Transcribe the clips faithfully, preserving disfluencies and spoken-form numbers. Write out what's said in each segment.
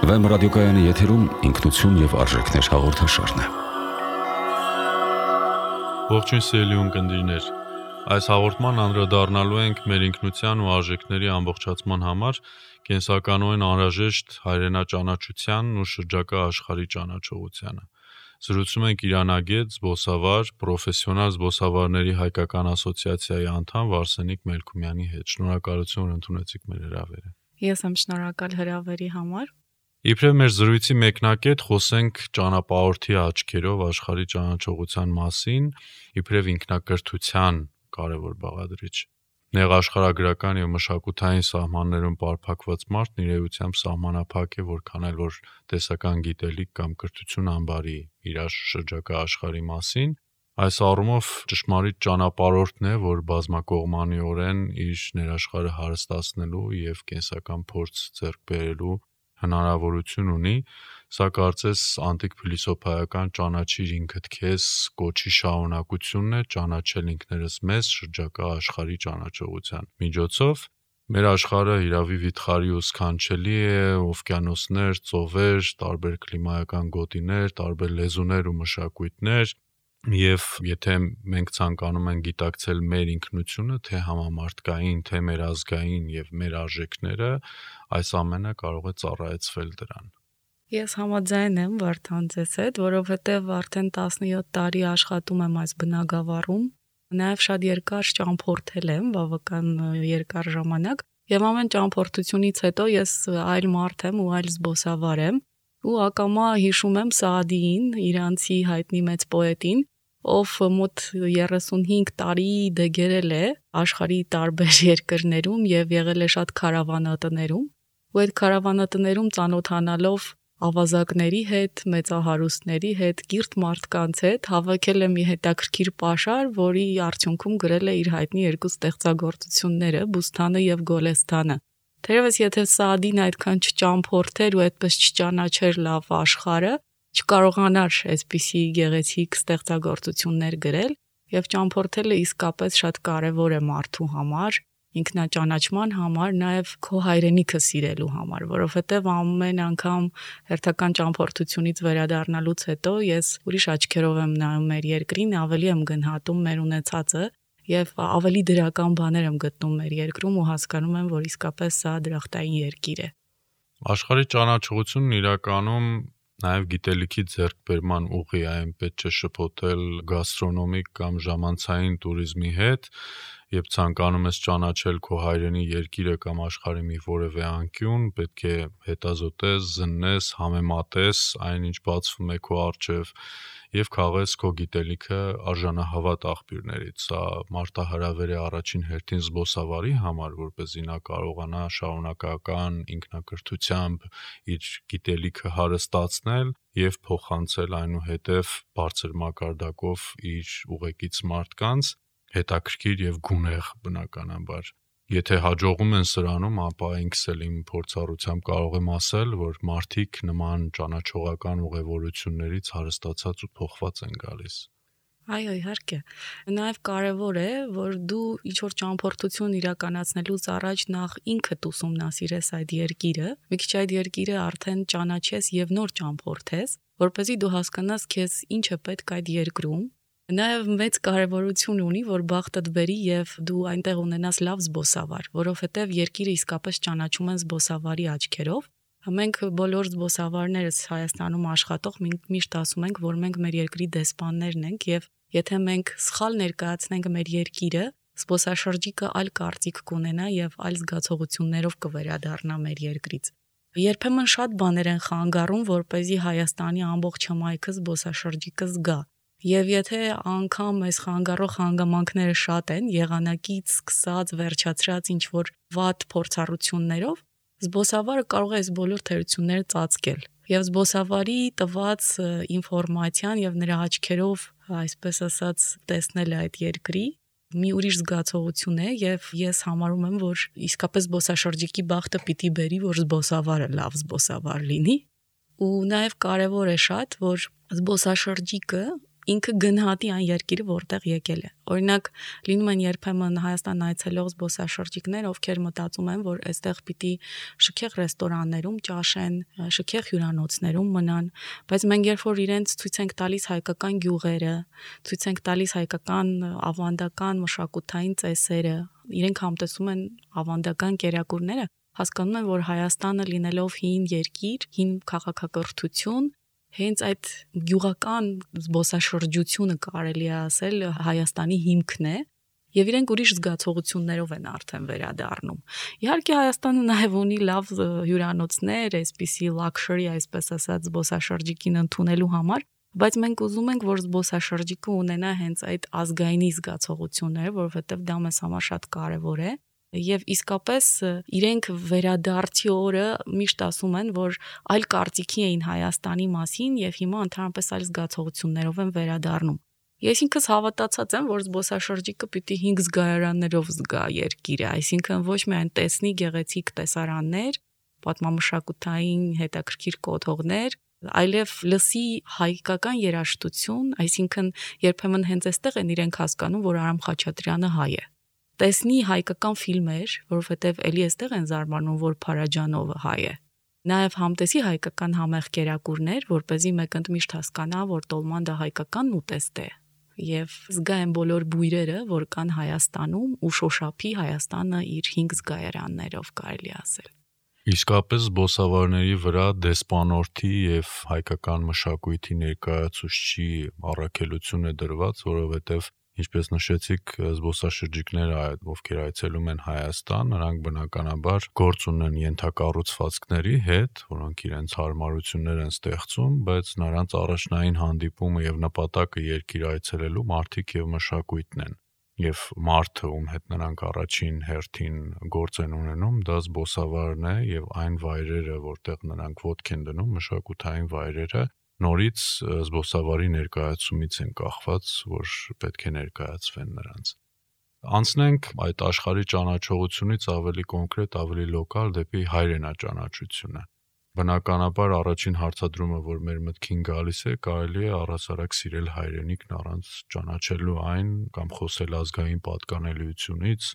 Վեմ ռադիոկայանի եթերում ինքնություն և արժեքներ հաղորդաշարն է։ Ողջույն սիրելի ունկնդիրներ, այս հաղորդման անդրադառնալու ենք մեր ինքնության ու արժեքների ամբողջացման համար կենսականորեն անհրաժեշտ հայրենաճանաչությանն ու շրջակա աշխարհի ճանաչողությանը։ Զրուցում ենք իրանագետ, զբոսավար, պրոֆեսիոնալ զբոսավարների հայկական ասոցիացիայի անդամ Վարսենիկ Մելքումյանի հետ։ Շնորհակալություն, որ ընդունեցիք մեր հրավերը։ Ես եմ շնորհակալ հրավերի համար։ Իբրև մեր զրույցի մեկնակետ խոսենք ճանապարհորդի աչքերով աշխարհի ճանաչողության մասին, իբրև ինքնակրթության կարևոր բաղադրիչ։ Նեղաշխարհագրական եւ մշակութային սահմաններում պարփակված մարդն իր էությամբ սահմանափակ է, որքան էլ որ տեսական գիտելիք կամ կրթություն ամբարի իր շրջակա աշխարհի մասին։ Այս առումով ճշմարիտ ճանապարհորդն է, որ բազմակողմանիորեն իր ներաշխարհը հարստացնելու եւ կենսական փորձ ձեռք բերելու հնարավորություն ունի, սա կարծես անտիկ փիլիսոփայական ճանաչիր ինքդ քեզ կոչի շարունակությունն է, ճանաչել ինքներս մեզ շրջակա աշխարհի ճանաչողության միջոցով։ Մեր աշխարհը իրավի վիթխարի ու սքանչելի է, օվկիանոսներ, ծովեր, տարբեր կլիմայական գոտիներ, տարբեր լեզուներ ու մշակույթներ, եւ եթե մենք ցանկանում ենք գիտակցել մեր ինքնությունը, թե համամարտկային, թե մեր ազգային եւ մեր արժեքները, այս ամենը կարող է ծառայեցվել դրան։ Ես համաձայն եմ Վարդան ձեզ հետ, որովհետեւ արդեն տասնյոթ տարի աշխատում եմ այս բնագավառում, նաեւ շատ երկար ճամփորդել եմ, բավական երկար ժամանակ, եւ ամեն ճամփորդությունից հետո ես այլ մարդ եմ ու այլ զբոսավար եմ, ու ակամա հիշում եմ Սաադիին, իրանցի հայտնի մեծ պոետին, ով մոտ երեսունհինգ տարի դեգերել է աշխարհի տարբեր երկրներում եւ եղել է շատ քարավանատներում, ու այդ քարավանատներում ծանոթանալով ավազակների հետ, մեծահարուստների հետ, կիրթ մարդկանց հետ հավաքել է մի հետաքրքիր պաշար, որի արդյունքում գրել է իր հայտնի երկու ստեղծագործությունները՝ Բուսթանը եւ Գոլեսթանը։ Թերևս եթե Սաադին այդքան չճամփորդեր ու այդպես չճանաչեր լավ աշխարհը, չկարողանար այսպիսի գեղեցիկ ստեղծագործություններ գրել, եւ ճամփորդելը իսկապես շատ կարեւոր է մարդու համար, ինքնաճանաչման համար, նաեւ քո հայրենիքը սիրելու համար, որովհետեւ ամեն անգամ հերթական ճամփորդությունից վերադառնալուց հետո ես ուրիշ աչքերով եմ նայում մեր երկրին, ավելի եմ գնահատում մեր ունեցածը եւ ավելի դրական բաներ եմ գտնում մեր երկրում ու հասկանում եմ, որ իսկապես սա դրախտային երկիր է։ Աշխարհի ճանաչողությունն իրականում նաև գիտելիքի ձեռքբերման ուղի է, պետք չէ շփոթել գաստրոնոմիկ կամ ժամանցային туриզմի հետ, երբ ցանկանում ես ճանաչել քո հայրենի երկիրը կամ աշխարհի մի որևէ անկյուն, պետք է հետազոտես, զննես, համեմատես այն, ինչ բացվում է քո առջև եւ քաղես քո գիտելիքը արժանահավատ աղբյուրներից։ Սա մարտահրավեր է առաջին հերթին զբոսավարի համար, որպեսզի նա կարողանա շարունակական ինքնակրթությամբ իր գիտելիքը հարստացնել եւ փոխանցել այնուհետեւ բարձր մակարդակով իր ուղեկից մարդկանց, հետաքրքիր եւ գունեղ բնականաբար։ Եթե հաջողում են սրանում, ապա ինքս էլ իմ փորձառությամբ կարող եմ ասել, որ մարդիկ նման ճանաչողական ուղևորություններից հարստացած ու փոխված են գալիս։ Այո, իհարկե։ Նաև կարևոր է, որ դու ինչ-որ ճամփորդություն իրականացնելուց առաջ նախ ինքդ ուսումնասիրես այդ երկիրը, մի քիչ այդ երկիրը արդեն ճանաչես եւ նոր ճամփորդես, որպեսզի դու հասկանաս քեզ ինչ է պետք այդ երկրում։ Նաև մեծ կարևորություն ունի, որ բախտդ բերի եւ դու այնտեղ ունենաս լավ զբոսավար, որովհետեւ երկիրը իսկապես ճանաչում են զբոսավարի աչքերով։ Մենք բոլոր զբոսավարներս Հայաստանում աշխատող միշտ ասում ենք, որ մենք մեր երկրի դեսպաններն ենք եւ եթե մենք սխալ ներկայացնենք մեր երկիրը, զբոսաշրջիկը այլ կարծիք կունենա եւ այլ զգացողություններով կվերադառնա մեր երկրից։ Երբեմն շատ բաներ են խանգարում, որպեսզի Հայաստանի ամբողջ հմայքը զբոսաշրջիկը զգա։ Եվ եթե անգամ այս խանգարող հանգամանքները շատ են, եղանակից սկսած վերջացրած ինչ որ վատ փորձառություններով, զբոսավարը կարող է այս բոլոր թերությունները ծածկել։ Եվ զբոսավարի տված ինֆորմացիան եւ նրա աչքերով, այսպես ասած, տեսնել այդ երկրի մի ուրիշ զգացողություն է եւ ես համարում եմ, որ իսկապես զբոսաշրջիկի բախտը պիտի բերի, որ զբոսավարը լավ զբոսավար լինի։ Ու նաեւ կարեւոր է շատ, որ զբոսաշրջիկը ինքը գնահատի այն երկիրը, որտեղ եկել է։ Օրինակ, լինում են երբեմն Հայաստան այցելող զբոսաշրջիկներ, ովքեր մտածում են, որ այստեղ պիտի շքեղ ռեստորաններում ճաշեն, շքեղ հյուրանոցներում մնան, բայց մենք երբ որ իրենց ցույց ենք տալիս հայկական գյուղերը, ցույց ենք տալիս հայկական ավանդական մշակութային ծեսերը, իրենք համտեսում են ավանդական կերակուրները, հասկանում են, որ Հայաստանը լինելով հին երկիր, հին քաղաքակրթություն, հենց այդ գյուղական զբոսաշրջությունը կարելի է ասել Հայաստանի հիմքն է, եւ իրենք ուրիշ զգացողություններով են արդեն վերադառնում։ Իհարկե Հայաստանը նաեւ ունի լավ հյուրանոցներ, այսպիսի luxury, այսպես ասած, զբոսաշրջիկին ընդունելու համար, բայց մենք ուզում ենք, որ զբոսաշրջիկը ունենա հենց այդ ազգայինի զգացողությունները, որովհետեւ դա մեզ համար շատ կարեւոր է։ Եվ իսկապես իրենք վերադարձի օրը միշտ ասում են, որ այլ կարծիքի էին Հայաստանի մասին եւ հիմա ընդհանրապես այլ զգացողություններով են վերադառնում։ Ես ինքս հավատացած եմ, որ զբոսաշրջիկը պիտի հինգ զգայարաններով զգա երկիրը, այսինքն ոչ միայն տեսնի գեղեցիկ տեսարաններ, պատմամշակութային հետաքրքիր կոթողներ, այլև լսի հայկական երաժշտություն, այսինքն երբեմն հենց այստեղ են իրենք հասկանում, որ Արամ Խաչատրյանը հայ է։ Տեսնի հայկական ֆիլմեր, որովհետև էլի այստեղ են զարմանում, որ Փարաջանովը հայ է։ Նաև համտեսի հայկական համեղ կերակուրներ, որպեսզի մեկ ընդմիշտ հասկանա, որ Տոլման դա հայկական ուտեստ է։ Եվ զգա են բոլոր բույրերը, որ կան Հայաստանում ու շոշափի Հայաստանը իր հինգ զգայարաններով, կարելի ասել։ Իսկապես զբոսավարների վրա դեսպանորդի եւ հայկական մշակույթի ներկայացուցչի առաքելություն է դրված, որովհետեւ ինչպես նշեցիք, զբոսաշրջիկները, ովքեր այցելում են Հայաստան, նրանք բնականաբար գործ ունեն ենթակառուցվածքների հետ, որոնք իրենց հարմարություններ են ստեղծում, բայց նրանց առաջնային հանդիպումը եւ նպատակը երկիր այցելելու մարդիկ եւ մշակույթն են։ Եվ մարդը, ում հետ նրանք առաջին հերթին գործ են ունենում, դա զբոսավարն է եւ այն վայրերը, որտեղ նրանք ոտք են դնում, մշակութային վայրերը, նորից զբոսավարի ներկայացումից են կախված, որ պետք է ներկայացվեն նրանց։ Անցնենք այդ աշխարհի ճանաչողությունից ավելի կոնկրետ, ավելի լոկալ դեպի հայրենաճանաչությունը։ Բնականաբար առաջին հարցադրումը, որ մեր մտքին գալիս է, կարելի է առհասարակ սիրել հայրենիքն առանց ճանաչելու այն կամ խոսել ազգային պատկանելիությունից,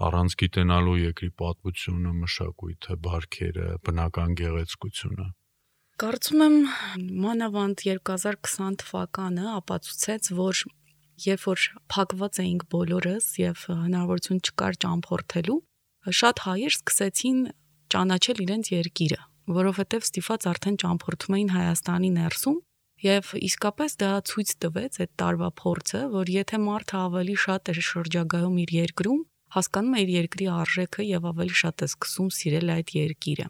առանց գիտենալու երկրի պատմությունը, մշակույթը, բարքերը, բնական գեղեցկությունը։ Կարծում եմ մանավանդ երկու հազար քսան թվականը ապացուցեց, որ երբ որ փակված էինք բոլորս եւ հնարավորություն չկար ճամփորդելու, շատ հայեր սկսեցին ճանաչել իրենց երկիրը, որովհետեւ ստիպված արդեն ճամփորդում էին Հայաստանի ներսում եւ իսկապես դա ցույց տվեց այդ տարվա փորձը, որ եթե մարդը ավելի շատ է շրջագայում իր երկրում, հասկանում է իր երկրի արժեքը եւ ավելի շատ է սկսում սիրել այդ երկիրը։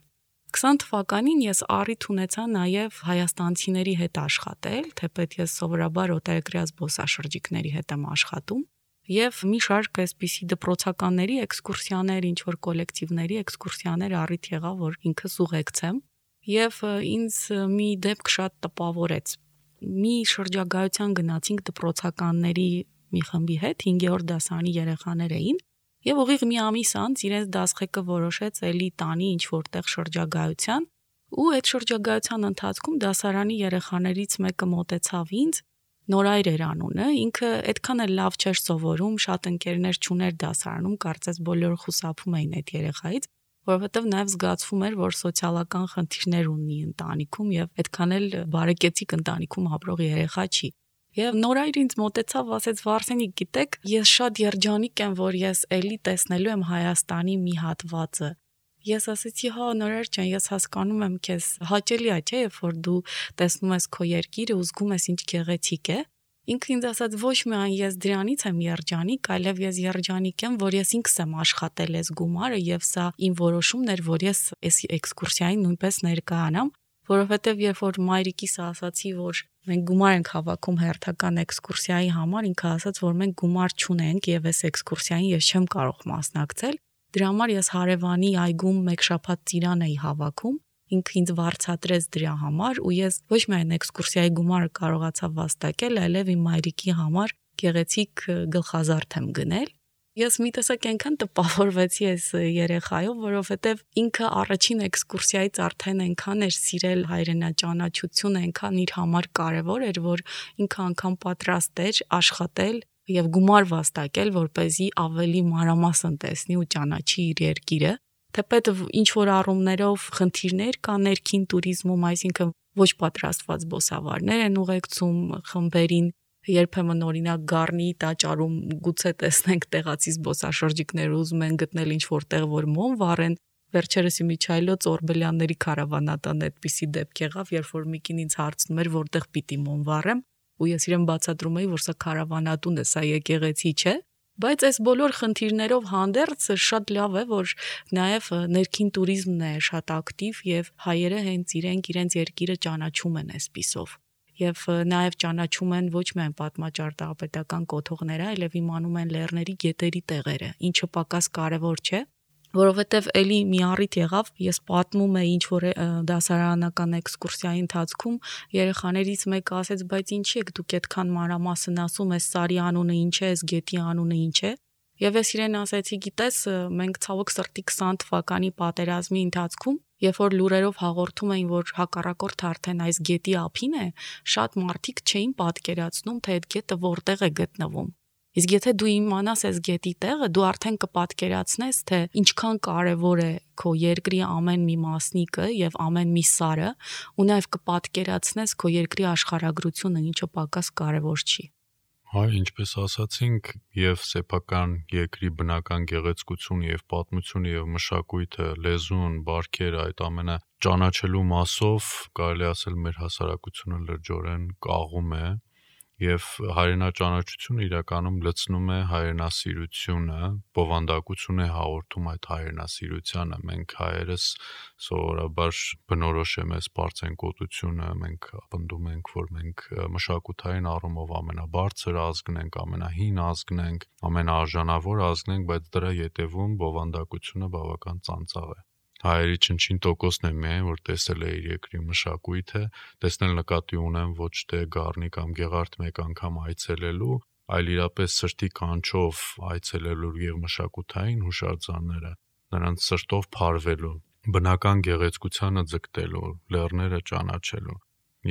քսան թվականին ես առիթ ունեցա նաև հայաստանցիների հետ աշխատել, թեպետ ես սովորաբար օտարերկրյա զբոսաշրջիկների հետ եմ աշխատում, եւ մի շարք այսպիսի դպրոցականների էքսկուրսիաներ, ինչ որ կոլեկտիվների էքսկուրսիաներ առիթ եղա, որ ինքս ուղեկցեմ, եւ ինձ մի դեպք շատ տպավորեց։ Մի շրջագայության գնացինք դպրոցականների մի խմբի հետ, հինգերորդ դասարանի երեխաներ էին, եւ ուղիղ մի ամիս անց իրենց դասղեկը որոշեց էլի տանի ինչ որտեղ շրջագայության, ու այդ շրջագայության ընթացքում դասարանի երեխաներից մեկը մոտեցավ ինձ, Նորայր էր անունը, ինքը այդքան էլ լավ չէր սովորում, շատ ընկերներ չուներ դասարանում, կարծես բոլորը խուսափում էին այդ երեխայից, որովհետև նաև զգացվում էր, որ սոցիալական խնդիրներ ունի ընտանիքում եւ այդքան էլ բարեկեցիկ ընտանիքում ապրող երեխա չի։ Եվ Նորայր ինձ մոտեցավ, ասեց Վարսենիկ, գիտեք, ես շատ երջանիկ եմ, որ ես էլի տեսնելու եմ Հայաստանի մի հատվածը։ Ես ասեցի, հա, Նորայր ջան, ես հասկանում եմ քեզ, հաճելի է, չէ՞, երբ որ դու տեսնում ես քո երկիրը ու զգում ես ինչ գեղեցիկ է։ Ինքը ինձ ասաց, ոչ միայն ես դրանից եմ երջանիկ, այլև ես երջանիկ եմ, որ ես ինքս եմ աշխատել այս գումարը եւ սա իմ որոշումն էր, որ ես այս էքսկուրսիային նույնպես ներկայանամ, որովհետեւ երբ որ մայրիկիս ասացի, որ մենք գումար ենք հավաքում հերթական էքսկուրսիայի համար, ինքը ասաց, որ մենք գումար չունենք եւ այս էքսկուրսիային ես չեմ կարող մասնակցել, դրա համար ես հարևանի այգում մեկ շաբաթ ծիրան էի հավաքում, ինքը ինձ վարձատրեց դրա համար ու ես ոչ միայն էքսկուրսիայի գումարը կարողացա վաստակել, այլև իմ մայրիկի համար գեղեցիկ գլխազարդ եմ գնել։ Ես մի տեսակ այնքան տպավորվեցի այս երեխայով, որովհետև ինքը առաջին էքսկուրսիայից արդեն այնքան էր սիրել հայրենաճանաչությունը, այնքան իր համար կարևոր էր, որ ինքը անգամ պատրաստ էր աշխատել եւ գումար վաստակել, որպեսզի ավելի մանրամասն տեսնի ու ճանաչի իր երկիրը։ Թեպետ ինչ որ առումներով խնդիրներ կա ներքին туриզմում, այսինքն ոչ պատրաստված զբոսավարներ են ուղեկցում խմբերին, երբեմն օրինակ Գառնի տաճարում գուցե տեսնենք տեղացի զբոսաշրջիկներ ուզում են գտնել ինչ որտեղ որ մոմ վառեն, վերջերս Իմիջայլոց Օրբելյանների քարավանատան այդպիսի դեպք եղավ, երբ որ Միկին ինձ հարցնում էր որտեղ պիտի մոմ վառեմ, ու ես իրեն բացատրում էի, որ սա քարավանատուն է, սա եկեղեցի չէ, բայց այս բոլոր խնդիրներով հանդերձ շատ լավ է, որ նաև ներքին туриզմն է շատ ակտիվ եւ հայերը հենց իրենք իրենց երկիրը ճանաչում են այսպիսով։ Եվ նաև ճանաչում են ոչ միայն պատմաճարտարապետական կոթողները, այլև իմանում են լեռների գետերի տեղերը, ինչը պակաս կարևոր չէ, որովհետև էլի մի առիթ եղավ, ես պատմում էի ինչ որ դասարանական էքսկուրսիայի ընթացքում երեխաներից մեկը ասեց, բայց ինչի եք դուք այդքան մանրամասն ասում, այս սարի անունը ինչ է, այս գետի անունը ինչ է։ Եվ ես իրեն ասեցի, գիտես, մենք ցավոք սրտի քսան թվականի պատերազմի ընթացքում, երբ որ լուրերով հաղորդում էին, որ հակառակորդը արդեն այս գետի ափին է, շատ մարդիկ չէին պատկերացնում, թե այդ գետը որտեղ է գտնվում։ Իսկ եթե դու իմանաս այս գետի տեղը, դու արդեն կպատկերացնես, թե ինչքան կարևոր է քո երկրի ամեն մի մասնիկը եւ ամեն մի սարը, ու նաեւ կպատկերացնես քո երկրի աշխարհագրությունը, ինչը պակաս կարևոր չի։ Հայ, ինչպես ասացինք, եւ սեփական երկրի բնական գեղեցկությունը եւ պատմությունը եւ մշակույթը, լեզուն, բարքերը, այդ ամենը ճանաչելու մասով կարելի ասել մեր հասարակությունը լրջորեն կաղում է եւ հայրենաճանաչությունը իրականում լցնում է հայրենասիրությունը, բովանդակություն է հաղորդում այդ հայրենասիրությանը։ Մենք հայերս սովորաբար բնորոշ է մեզ բարձրանկոտությունը, մենք պնդում ենք, որ մենք մշակութային առումով ամենաբարձր ազգն ենք, ամենահին ազգն ենք, ամենաարժանավոր ազգն ենք, բայց դրա ետևում բովանդակությունը բավական ծանծաղ է։ Հայերի չնչին տոկոսն է միայն, որ տեսել է իր երկրի մշակույթը, տեսնել նկատի ունեմ ոչ թե Գառնի կամ Գեղարդ մեկ անգամ այցելելու, այլ իրապես սրտի կանչով այցելելու եւ մշակութային հուշարձանները, նրանց սրտով փարվելու, բնական գեղեցկությանը ձգտելու, լեռները ճանաչելու,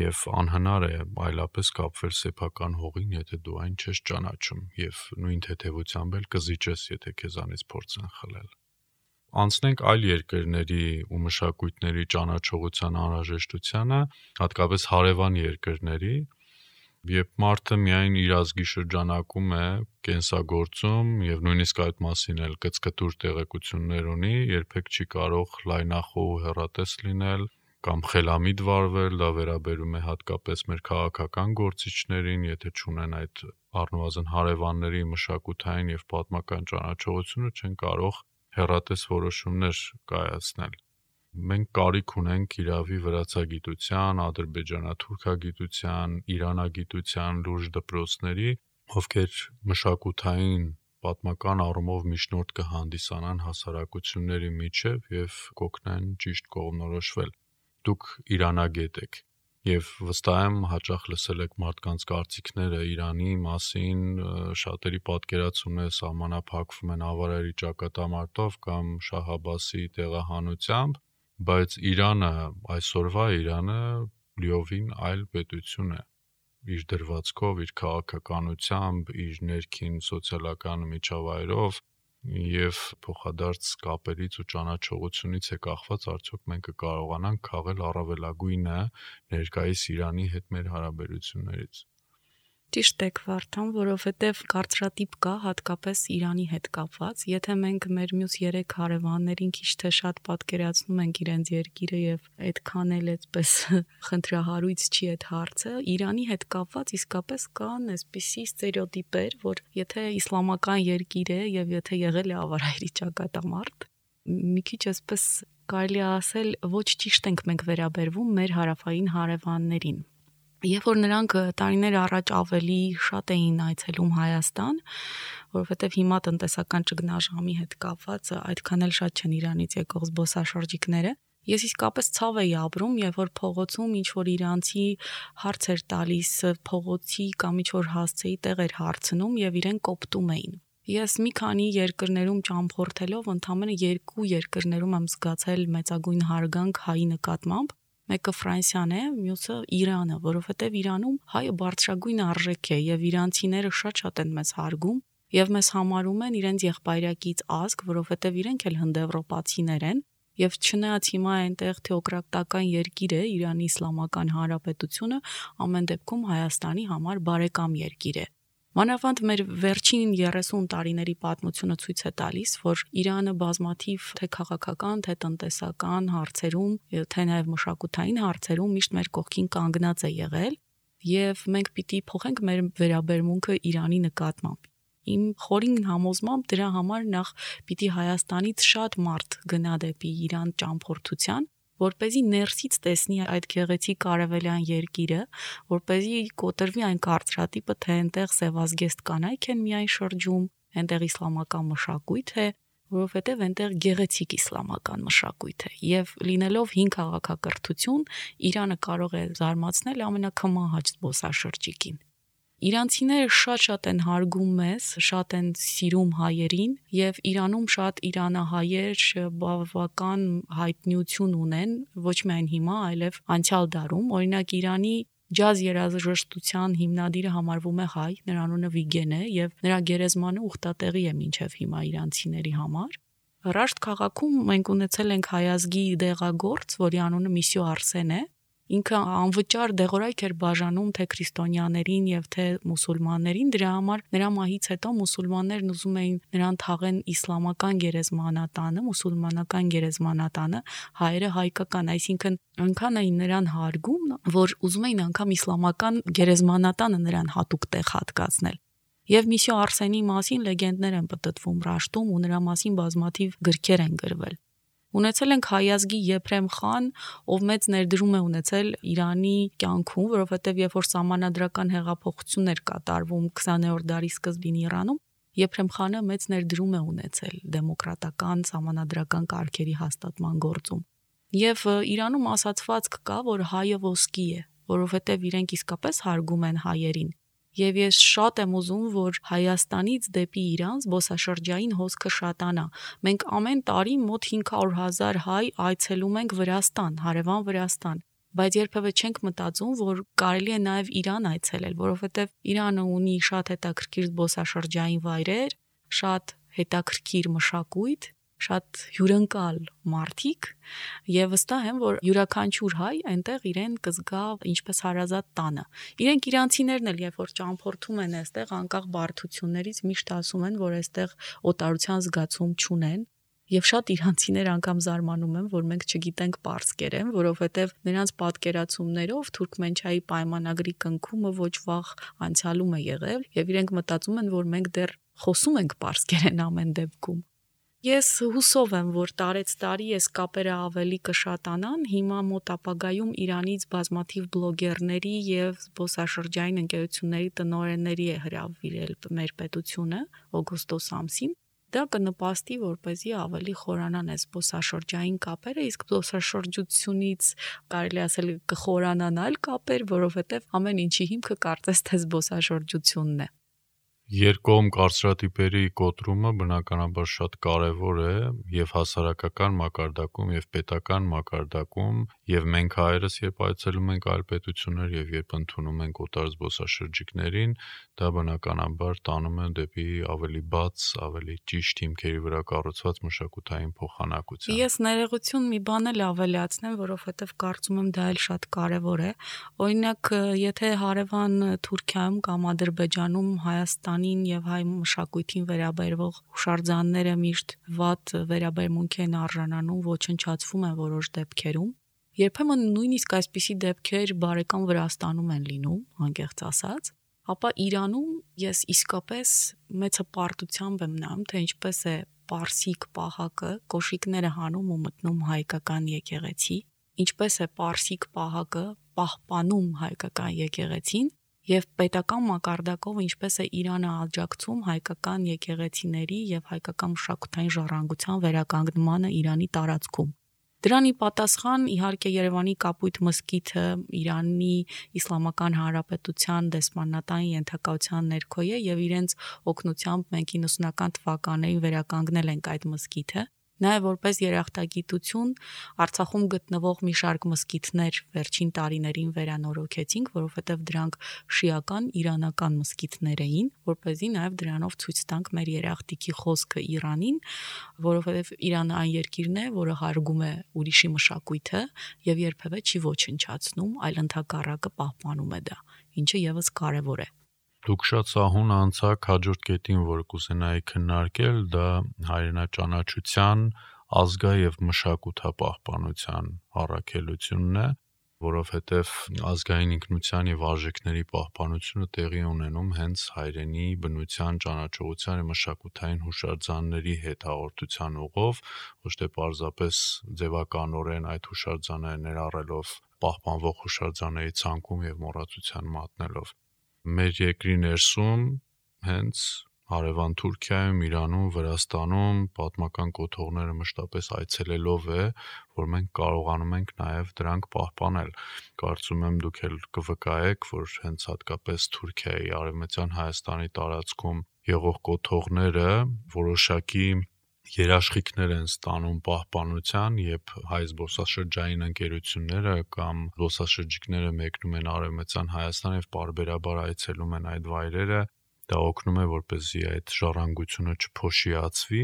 եւ անհնար է այլապես կապվել սեփական հողին, եթե դու այն չես ճանաչում, եւ նույն թեթևությամբ էլ կզիջես, եթե քեզանից փորձեն խլել։ Անցնենք այլ երկրների ու մշակույթների ճանաչողության անհրաժեշտությանը, հատկապես հարևան երկրների, երբ մարդը միայն իր ազգի շրջանակում է կենսագործում եւ նույնիսկ այդ մասին էլ կծկտուր տեղեկություններ ունի, երբեք չի կարող լայնախոհ ու հեռատես լինել կամ խելամիտ վարվել, դա վերաբերում է հատկապես մեր քաղաքական գործիչներին, եթե չունեն այդ առնվազն հարևանների մշակութային եւ պատմական ճանաչողությունը, չեն կարող հեռատես որոշումներ կայացնել։ Մենք կարիք ունենք իրավի վրացագիտության, ադրբեջանա-թուրքագիտության, իրանագիտության լուրջ դպրոցների, ովքեր մշակութային պատմական առումով միջնորդ կհանդիսանան հասարակությունների միջև եւ կօգնեն ճիշտ կողմնորոշվել։ Դուք իրանագետ եք եւ վստահ եմ հաճախ լսել եք մարդկանց կարծիքները Իրանի մասին, շատերի պատկերացումն է սահմանափակվում են ավարերի ճակատամարտով կամ Շահ Աբասի տեղահանությամբ, բայց Իրանը, այսօրվա Իրանը լիովին այլ պետություն է, իր դրվածքով, իր քաղաքականությամբ, իր ներքին սոցիալական միջավայրով եւ փոխադարձ կապերից ու ճանաչողությունից է կախված արդյոք մենք կկարողանանք քաղել առավելագույնը ներկայիս Իրանի հետ մեր հարաբերություններից։ Ճիշտ եք Վարդան, որովհետև կարծրատիպ կա հատկապես Իրանի հետ կապված, եթե մենք մեր մյուս երեք հարևաններին քիչ թե շատ պատկերացնում ենք իրենց երկիրը եւ այդքան էլ այդպես խնդրահարույց չի այդ հարցը, Իրանի հետ կապված իսկապես կան այսպիսի ստերեոտիպեր, որ եթե իսլամական երկիր է եւ եթե եղել է ավարայրի ճակատամարտ, մի քիչ այսպես կարելի ասել ոչ ճիշտ ենք մենք վերաբերվում մեր հարավային հարևաններին։ Երբ որ նրանք տարիներ առաջ ավելի շատ էին այցելում Հայաստան, որովհետև հիմա տնտեսական ճգնաժամի հետ կապված այդքան էլ շատ չեն Իրանից եկող զբոսաշրջիկները, ես իսկապես ցավ էի ապրում, երբ որ փողոցում ինչ որ իրանցի հարց էր տալիս, փողոցի կամ ինչ որ հասցեի տեղ էր հարցնում եւ իրեն կոպտում էին։ Ես մի քանի երկրներում ճամփորդելով ընդամենը երկու երկրներում եմ զգացել մեծագույն հարգանք հայի նկատմամբ։ Մեկը Ֆրանսիան է, մյուսը Իրանը, որովհետև Իրանում հայը բարձրագույն արժեք է եւ իրանցիները շատ-շատ են մեզ հարգում եւ մեզ համարում են իրենց եղբայրակից ազգ, որովհետև իրենք էլ հնդեվրոպացիներ են եւ չնայած հիմա այնտեղ թեոկրատական երկիր է Իրանի Իսլամական Հանրապետությունը, ամեն դեպքում Հայաստանի համար բարեկամ երկիր է։ Մանավանդ մեր վերջին երեսուն տարիների պատմությունը ցույց է տալիս, որ Իրանը բազմաթիվ թե քաղաքական, թե տնտեսական հարցերում, թե նաև մշակութային հարցերում միշտ մեր կողքին կանգնած է եղել, եւ մենք պիտի փոխենք մեր վերաբերմունքը Իրանի նկատմամբ։ Իմ խորին համոզմամբ դրա համար նախ պիտի Հայաստանից շատ մարդ գնա դեպի Իրան ճամփորդության, որպեսզի ներսից տեսնի այդ գեղեցիկ արևելյան երկիրը, որպեսզի կոտրվի այն կարծրատիպը, թե այնտեղ սևազգեստ կանայք են միայն շրջում, այնտեղ իսլամական մշակույթ է, որովհետև այնտեղ գեղեցիկ իսլամական մշակույթ է, եւ լինելով հին քաղաքակրթություն, Իրանը կարող է զարմացնել ամենակմահաճ զբոսաշրջիկին։ Իրանցիները շատ-շատ են հարգում մեզ, շատ են սիրում հայերին եւ Իրանում շատ իրանահայեր բավական հայտնիություն ունեն, ոչ միայն հիմա, այլև անցյալ դարում։ Օրինակ Իրանի ջազ երաժշտության հիմնադիրը համարվում է հայ, նրա անունը Վիգեն է եւ նրա գերեզմանը ուխտատեղի է մինչեւ հիմա իրանցիների համար։ Ռաշտ քաղաքում մենք ունեցել ենք հայազգի դեղագործ, որի անունը Միսյո Արսեն է։ Ինքը անվճար դեղորայք էր բաժանում թե քրիստոնյաներին եւ թե մուսուլմաններին, դրա համար նրա մահից հետո մուսուլմաններն ուզում էին նրան թաղեն իսլամական գերեզմանատանը, մուսուլմանական գերեզմանատանը, հայերը հայկական, այսինքն այնքան էին նրան հարգում, որ ուզում էին անգամ իսլամական գերեզմանատանը նրան հատուկ տեղ հատկացնել։ Եվ Միսյո Արսենի մասին լեգենդներ են պտտվում Ռաշտում ու նրա մասին բազմաթիվ գրքեր են գրվել։ Ունեցել ենք հայազգի Եփրեմ խան, ով մեծ ներդրում է ունեցել Իրանի կյանքում, որովհետև երբ որ սահմանադրական հեղափոխություն էր կատարվում քսաներորդ դարի սկզբին Իրանում, Եփրեմ խանը մեծ ներդրում է ունեցել դեմոկրատական սահմանադրական կարգերի հաստատման գործում։ Եվ Իրանում ասացվածք կա, որ հայը ոսկի է, որովհետև իրենք իսկապես հարգում են հայերին։ Եվ ես շատ եմ ուզում, որ Հայաստանից դեպի Իրան զբոսաշրջային հոսքը շատանա։ Մենք ամեն տարի մոտ հինգ հարյուր հազար հայ այցելում ենք Վրաստան, հարևան Վրաստան, բայց երբևէ չենք մտածում, որ կարելի է նաև Իրան այցելել, որովհետև Իրանը ունի շատ հետաքրքիր զբոսաշրջային վայրեր, շատ հետաքրքիր մշակույթ, շատ հյուրընկալ մարդիկ եւ վստահ եմ, որ յուրաքանչյուր հայ այնտեղ իրեն կզգա ինչպես հարազատ տանը։ Իրենք իրանցիներն էլ երբ որ ճամփորդում են այստեղ անկախ բարդություններից միշտ ասում են, որ այստեղ օտարության զգացում չունեն։ Եվ շատ իրանցիներ անգամ զարմանում են, որ մենք չգիտենք պարսկերեն, որովհետև նրանց պատկերացումներով Թուրքմենչայի պայմանագրի կնքումը ոչ վաղ անցյալում է եղել եւ իրենք մտածում են, որ մենք դեռ խոսում ենք պարսկերեն ամեն դեպքում։ Ես հուսով եմ, որ տարեց տարի այս կապերը ավելի կշատանան, հիմա մոտ ապագայում Իրանից բազմաթիվ բլոգերների եւ զբոսաշրջային ընկերությունների տնօրենների է հրավիրել մեր պետությունը օգոստոս ամսին։ Դա կնպաստի, որպեսզի ավելի խորանան այս զբոսաշրջային կապերը, իսկ զբոսաշրջությունից կարելի ասել կխորանան այլ կապեր, որովհետեւ ամեն ինչի հիմքը կարծես թե զբոսաշրջությունն է։ Երկկողմ կարծրատիպերի կոտրումը բնականաբար շատ կարևոր է եւ հասարակական մակարդակում եւ պետական մակարդակում եւ մենք հայերս երբ այցելում ենք այլ պետություններ եւ երբ ընդունում ենք օտար զբոսաշրջիկներին, դա բնականաբար տանում է դեպի ավելի բաց, ավելի ճիշտ հիմքերի վրա կառուցված մշակութային փոխանակություն։ Ես ներողություն մի բան էլ ավելացնեմ, որովհետեւ կարծում եմ դա էլ շատ կարևոր է։ Օրինակ, եթե հարևան Թուրքիայում կամ Ադրբեջանում Հայաստան եւ հայ մշակույթին վերաբերվող հուշարձանները միշտ վատ վերաբերմունք են արժանանում, ոչնչացվում են որոշ դեպքերում։ Երբեմն նույնիսկ այսպիսի դեպքեր բարեկամ Վրաստանում են լինում, անկեղծ ասած, ապա Իրանում ես իսկապես մեծ հպարտությամբ եմ նայում, թե ինչպես է պարսիկ պահակը կոշիկները հանում ու մտնում հայկական եկեղեցի, ինչպես է պարսիկ պահակը պահպանում հայկական եկեղեցին եւ պետական մակարդակով ինչպես է Իրանը աջակցում հայկական եկեղեցիների եւ հայկական մշակութային ժառանգության վերականգնմանը Իրանի տարածքում։ Դրանի պատասխան իհարկե Երևանի Կապույտ մզկիթը Իրանի Իսլամական Հանրապետության դեսպանատային ենթակայության ներքո է եւ իրենց օգնությամբ մենք իննսունական թվականներին վերականգնել ենք այդ մզկիթը։ Նաև որպես երախտագիտություն Արցախում գտնվող մի շարք մզկիթներ վերջին տարիներին վերանորոգեցինք, որովհետև դրանք շիական իրանական մզկիթներ էին, որպեսզի նաև դրանով ցույց տանք մեր երախտիկի խոսքը Իրանին, որովհետև Իրանը այն երկիրն է, որը հարգում է ուրիշի մշակույթը եւ երբևէ չի ոչնչացնում, այլ ընդհակառակը պահպանում է դա, ինչը եւս կարեւոր է։ Դուք շատ սահուն անցաք հաջորդ կետին, որ կուզենայի քննարկել, դա հայրենաճանաչության, ազգա եւ մշակութապահպանության առաքելությունն է, որովհետեւ ազգային ինքնության եւ արժեքների պահպանությունը տեղի ունենում հենց հայրենի բնության, ճանաչողության եւ մշակութային հուշարձանների հետ հաղորդության ուղով, ոչ թե պարզապես ձևականորեն այդ հուշարձանները ներառելով պահպանվող հուշարձանների ցանկում եւ մոռացության մատնելով։ Մեր երկրի ներսում հենց հարևան Թուրքիայում, Իրանում, Վրաստանում պատմական կոթողները մշտապես այցելելով է, որ մենք կարողանում ենք նաև դրանք պահպանել։ Կարծում եմ դուք էլ կվկայեք, որ հենց հատկապես Թուրքիայի, Արևմտյան Հայաստանի տարածքում եղող կոթողները որոշակի երաշխիքներ են ստանում պահպանության, երբ հայ զբոսաշրջային ընկերությունները կամ զբոսաշրջիկները մեկնում են Արևմտյան Հայաստան եւ պարբերաբար այցելում են այդ վայրերը, դա օգնում է, որպեսզի այդ ժառանգությունը չփոշիացվի։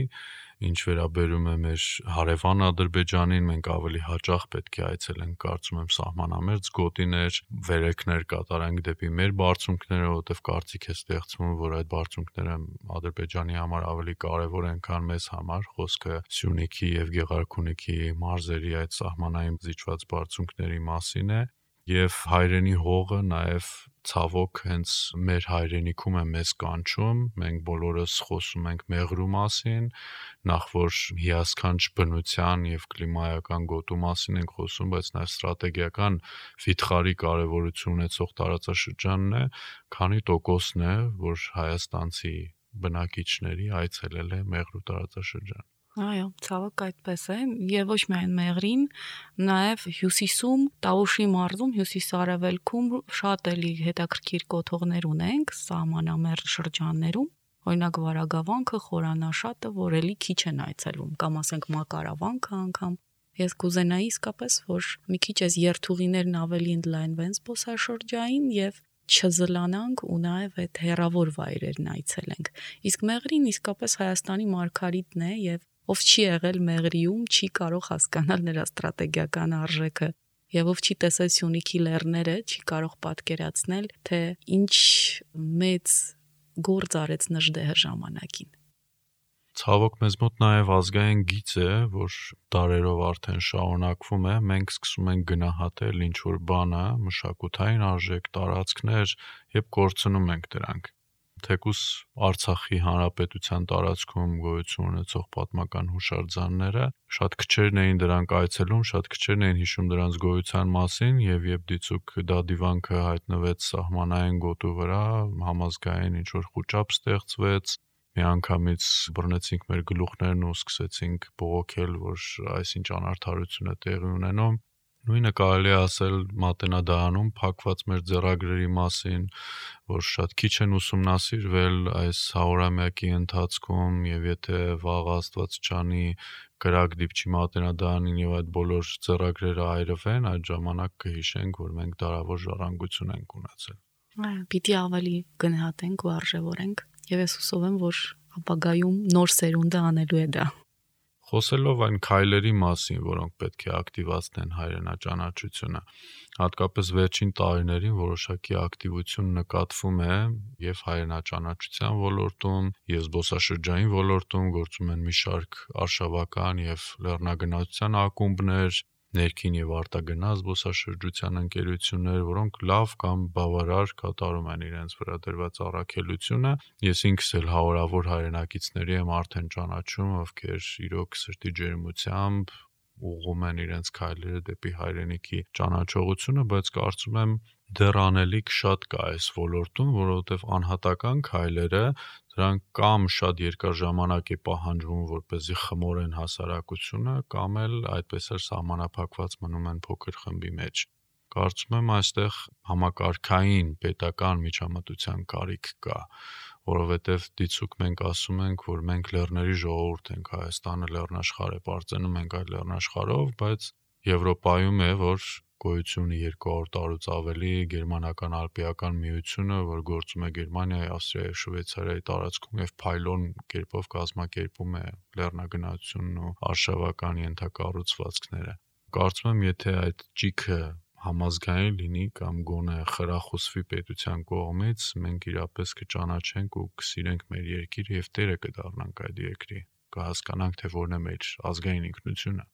Ինչ վերաբերում է մեր հարևան Ադրբեջանին, մենք ավելի հաճախ պետք է այցելենք, կարծում եմ, սահմանամերձ գոտիներ, վերելքներ կատարենք դեպի մեր բարձունքները, որովհետև կարծիք է ստեղծվում, որ այդ բարձունքները Ադրբեջանի համար ավելի կարևոր են, քան մեզ համար, խոսքը Սյունիքի եւ Գեղարքունիքի մարզերի այդ սահմանային զիջված բարձունքների մասին է, եւ հայրենի հողը նաեւ ցավոք հենց մեր հայրենիքում է մեզ կանչում, մենք բոլորս խոսում ենք մեղրու մասին, նախ որ հիասքանչ բնության եւ կլիմայական գոտու մասին ենք խոսում, բայց նաեւ ստրատեգիական վիթխարի կարեւորություն ունեցող տարածաշրջանն է, քանի տոկոսն է, որ հայաստանցի բնակիչների այցելել է մեղրու տարածաշրջան։ Այո, ցավոք այդպես է, եւ ոչ միայն Մեղրին, նաեւ Հյուսիսում, Տավուշի մարզում, հյուսիսարևելքում շատ էլի հետաքրքիր կոթողներ ունենք սահմանամերձ շրջաններում, օրինակ Վարագավանքը, Խորանաշատը, որ էլի քիչ են այցելում, կամ ասենք Մակարավանքը անգամ։ Ես կուզենայի իսկապես, որ մի քիչ այս երթուղիներն ավելի ընդլայնվեն զբոսաշրջային եւ չզլանանք ու նաեւ այդ հերավոր վայրերն այցելենք։ Իսկ Մեղրին իսկապես Հայաստանի մարգարիտն է եւ ով չի եղել Մեղրիում, չի կարող հասկանալ նրա ստրատեգիական արժեքը եւ ով չի տեսել Սյունիքի լեռները, չի կարող պատկերացնել, թե ինչ մեծ գործ արեց Նժդեհը ժամանակին։ Ցավոք մեզ մոտ նաև ազգային գիծ է, որ դարերով արդեն շարունակվում է, մենք սկսում ենք գնահատել ինչ-որ բանը, մշակութային արժեք, տարածքներ եւ կորցնում ենք դրանք։ Թեկուս Արցախի հանրապետության տարածքում գոյություն ունեցող պատմական հուշարձանները շատ քչերն էին դրանք այցելում, շատ քչերն էին հիշում դրանց գոյության մասին եւ երբ դիցուք դա դիվանքը հայտնվեց սահմանային գոտու վրա, համազգային ինչ-որ խուճապ ստեղծվեց, միանգամից բռնեցինք մեր գլուխներն ու սկսեցինք բողոքել, որ այսինչ անարդարություն է տեղի ունենում։ Նույնը կարելի է ասել Մատենադարանում փակված մեր ձեռագրերի մասին, որ շատ քիչ են ուսումնասիրվել այս հարյուրամյակի ընթացքում եւ եթե վաղ Աստված չանի կրակ դիպչի Մատենադարանին եւ այդ բոլոր ձեռագրերը այրվեն, այդ ժամանակ կհիշենք, որ մենք դարավոր ժառանգություն ենք ունեցել։ Այո, պիտի ավելի գնահատենք ու արժևորենք եւ ես հուսով եմ, որ ապագայում նոր սերունդը անելու է դա։ Խոսելով այն քայլերի մասին, որոնք պետք է ակտիվացնեն հայրենաճանաչությունը, հատկապես վերջին տարիներին որոշակի ակտիվություն նկատվում է եւ հայրենաճանաչության ոլորտում, եւ զբոսաշրջային ոլորտում գործում են մի շարք արշավական եւ լեռնագնացության ակումբներ, ներքին եւ արտագնաց զբոսաշրջության ընկերություններ, որոնք լավ կամ բավարար կատարում են իրենց վրա դրված առաքելությունը։ Ես ինքս էլ հարյուրավոր հայրենակիցների եմ արդեն ճանաչում, ովքեր իրոք սրտի ջերմությամբ ուղղում են իրենց քայլերը դեպի հայրենիքի ճանաչողությունը, բայց կարծում եմ դեռ անելիք շատ կա այս ոլորտում, որովհետև անհատական քայլերը Դրանք կամ շատ երկար ժամանակ է պահանջվում, որպեսզի խմորեն հասարակությունը, կամ էլ այդպես էլ սահմանափակված մնում են փոքր խմբի մեջ։ Կարծում եմ այստեղ համակարգային պետական միջամտության կարիք կա, որովհետև դիցուք մենք ասում ենք, որ մենք լեռների ժողովուրդ ենք, Հայաստանը լեռնաշխարհ է, պարծենում ենք այդ լեռնաշխարհով, բայց Եվրոպայում է, որ գոյություն ունի երկու հարյուր տարուց ավելի գերմանական ալպիական միությունը, որ գործում է Գերմանիայի, Ավստրիայի, Շվեյցարիայի տարածքում եւ փայլոն կերպով կազմակերպում է լեռնագնացությունն ու արշավական ենթակառուցվածքները։ Կարծում եմ, եթե այդ ճիգը համազգային լինի կամ գոնե խրախուսվի պետության կողմից, մենք իրապես կճանաչենք ու կսիրենք մեր երկիրը եւ տերը կդառնանք այդ երկրի, կհասկանանք, թե որն է մեր ազգային ինքնությունը։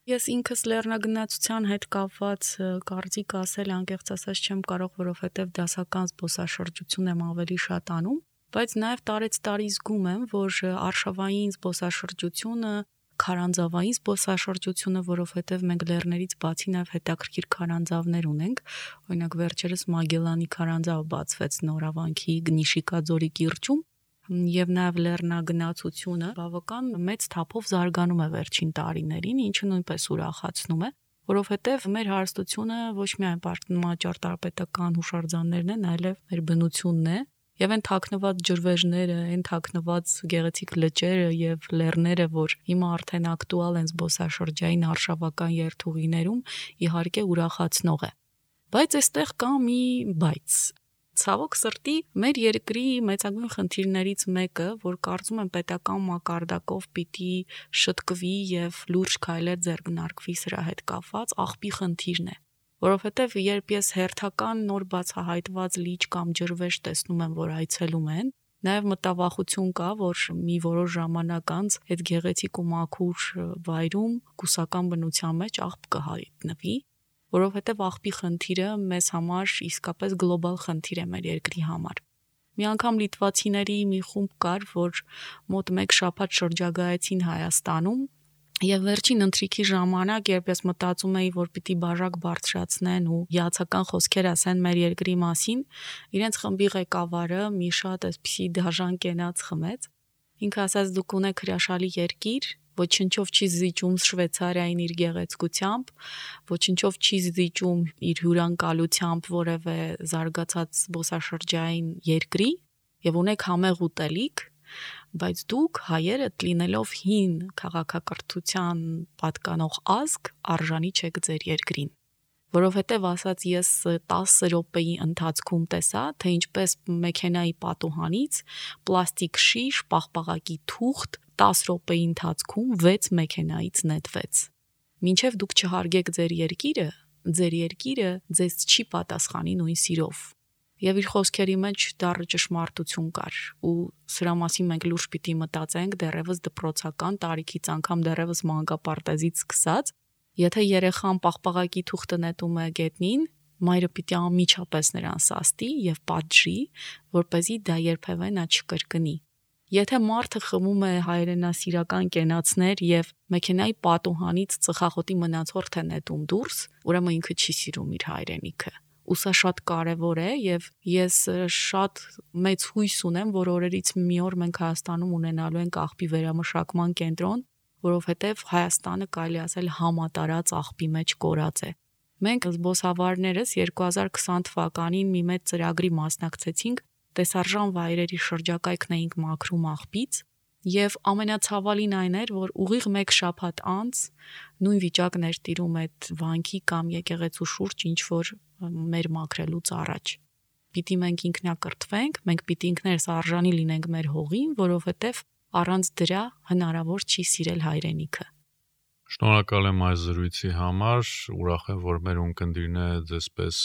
Ես ինքս լեռնագնացության հետ կապված կարծիք ասել անկեղծ ասած չեմ կարող, որովհետև դասական զբոսաշրջություն եմ ավելի շատ անում, բայց նաև տարեց տարի զգում եմ, որ արշավային զբոսաշրջությունը, քարանձավային զբոսաշրջությունը, որովհետև մենք լեռներից բացի նաև հետաքրքիր քարանձավներ ունենք, օրինակ վերջերս Մագելանի քարանձավ բացվեց Նորավանքի Գնիշիկաձորի կիրճում, եւ նաեւ լեռնագնացությունը բավական մեծ թափով զարգանում է վերջին տարիներին, ինչը նույնպես ուրախացնում է, որովհետեւ մեր հարստությունը ոչ միայն ճարտարապետական հուշարձաններն են, այլև մեր բնությունն է, եւ այն թաքնված ջրվեժները, այն թաքնված գեղեցիկ լճերը եւ լեռները, որ հիմա արդեն ակտուալ են զբոսաշրջային արշավական երթուղիներում, իհարկե ուրախացնող է։ Բայց այստեղ կա մի բայց Ցավոք սրտի մեր երկրի մեծագույն խնդիրներից մեկը, որ կարծում եմ պետական մակարդակով պիտի շտկվի եւ լուրջ քայլեր ձեռնարկվի սրա հետ կապված, աղբի խնդիրն է, որովհետեւ երբ ես հերթական նոր բացահայտված լիճ կամ ջրվեժ տեսնում եմ, որ այցելում են, նաեւ մտավախություն կա, որ մի որոշ ժամանակ անց այդ գեղեցիկ ու մաքուր վայրում կուսական բնության մեջ աղբ կհայտնվի, որովհետև աղբի խնդիրը մեզ համար իսկապես գլոբալ խնդիր է մեր երկրի համար։ Մի անգամ լիտվացիների մի խումբ կար, որ մոտ մեկ շաբաթ շրջագայեցին Հայաստանում, եւ վերջին ընթրիքի ժամանակ, երբ ես մտածում էի, որ պիտի բաժակ բարձրացնեն ու հիացական խոսքեր ասեն մեր երկրի մասին, իրենց խմբի ղեկավարը մի շատ այսպիսի դաժան կենաց խմեց։ Ինքը ասաց՝ դուք ունեք հրաշալի երկիր, ոչնչով չի զիջում Շվեյցարիային իր գեղեցկությամբ, ոչնչով չի զիջում իր հյուրանկալությամբ որևէ զարգացած զբոսաշրջային երկրի եւ ունեք համեղ ուտելիք, բայց դուք հայերը լինելով հին քաղաքակրթության պատկանող ազգ արժանի չեք ձեր երկրին, որովհետեւ ասաց ես տասը րոպեի ընթացքում տեսա, թե ինչպես մեքենայի պատուհանից պլաստիկ շիշ, պաղպաղակի թուղթ տասը րոպեի ընթացքում վեց մեքենայից նետվեց։ Մինչև դուք չհարգեք ձեր երկիրը, ձեր երկիրը ձեզ չի պատասխանի նույն սիրով։ Եվ իր խոսքերի մեջ դառը ճշմարտություն կար, ու սրա մասին մենք լուրջ պիտի մտածենք դեռևս դպրոցական տարիքից, անգամ դեռևս մանկապարտեզից սկսած, եթե երեխան պաղպաղակի թուղթը նետում է գետնին, մայրը պիտի անմիջապես նրան սաստի եւ պատժի, որպեսզի դա երբևէ նա չկրկնի։ Եթե մարդը խմում է հայրենասիրական կենացներ եւ մեքենայի պատուհանից ծխախոտի մնացորդ է նետում դուրս, ուրեմն ինքը չի սիրում իր հայրենիքը։ Ու սա շատ կարևոր է եւ ես շատ մեծ հույս ունեմ, որ օրերից մի օր մենք Հայաստանում ունենալու ենք աղբի վերամշակման կենտրոն, որովհետեւ Հայաստանը կարելի ասել համատարած աղբի մեջ կորած է։ Մենք զբոսավարներս երկու հազար քսան թվականին մի մեծ ծրագրի մասնակցեցինք, տեսարժան վայրերի շրջակայքն էինք մաքրում աղբից, եւ ամենացավալին այն էր, որ ուղիղ մեկ շաբաթ անց նույն վիճակն էր տիրում այդ վանքի կամ եկեղեցու շուրջ, ինչ որ մեր մաքրելուց առաջ։ Պիտի մենք ինքնակրթվենք, մենք պիտի ինքներս արժանի լինենք մեր հողին, որովհետեւ առանց դրա հնարավոր չի սիրել հայրենիքը։ Շնորհակալ եմ այս զրույցի համար, ուրախ եմ, որ մեր ունկնդիրները դեսպես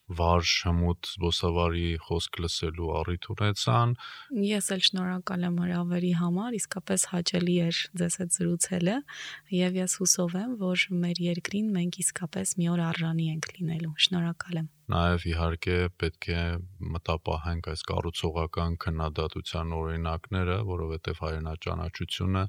վարժ հմուտ զբոսավարի խոսք լսելու առիթ ունեցան։ Ես էլ շնորհակալ եմ հրավերի համար, իսկապես հաճելի էր ձեզ հետ զրուցելը, եւ ես հուսով եմ, որ մեր երկրին մենք իսկապես մի օր արժանի ենք լինելու։ Շնորհակալ եմ։ Նաև իհարկե պետք է մտապահենք այս կառուցողական քննադատության օրինակները, որովհետև հայրենաճանաչությունը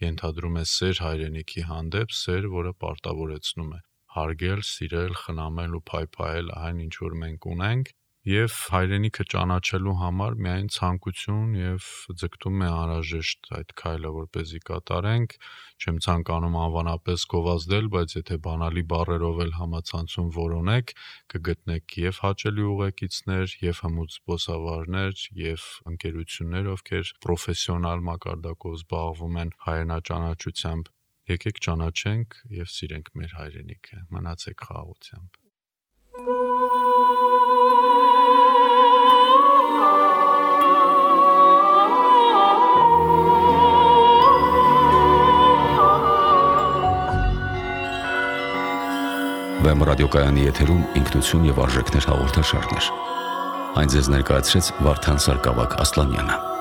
ենթադրում է սեր հայրենիքի հանդեպ, սեր, որը պարտավորեցնում է հարգել, սիրել, խնամել ու փայփայել այն, ինչ որ մենք ունենք, եւ հայրենիքը ճանաչելու համար միայն ցանկություն եւ ձգտում է անհրաժեշտ այդ քայլը որպեսզի կատարենք, չեմ ցանկանում անվանապես գովազդել, բայց եթե բանալի բառերով էլ համացանցում որոնեք, կգտնեք եւ հաճելի ուղեկիցներ, եւ հմուտ զբոսավարներ, եւ ընկերություններ, ովքեր պրոֆեսիոնալ մակարդակով զբաղվում են հայրենաճանաչությամբ։ Եկեք ճանաչենք եւ սիրենք մեր հայրենիքը։ Մնացեք խաղաղությամբ։ Վեմ ռադիոկայանի եթերում ինքնություն եւ արժեքներ հաղորդաշարներ։ Այն ձեզ ներկայացրեց Վարդան Սարգսակ Ասլանյանը։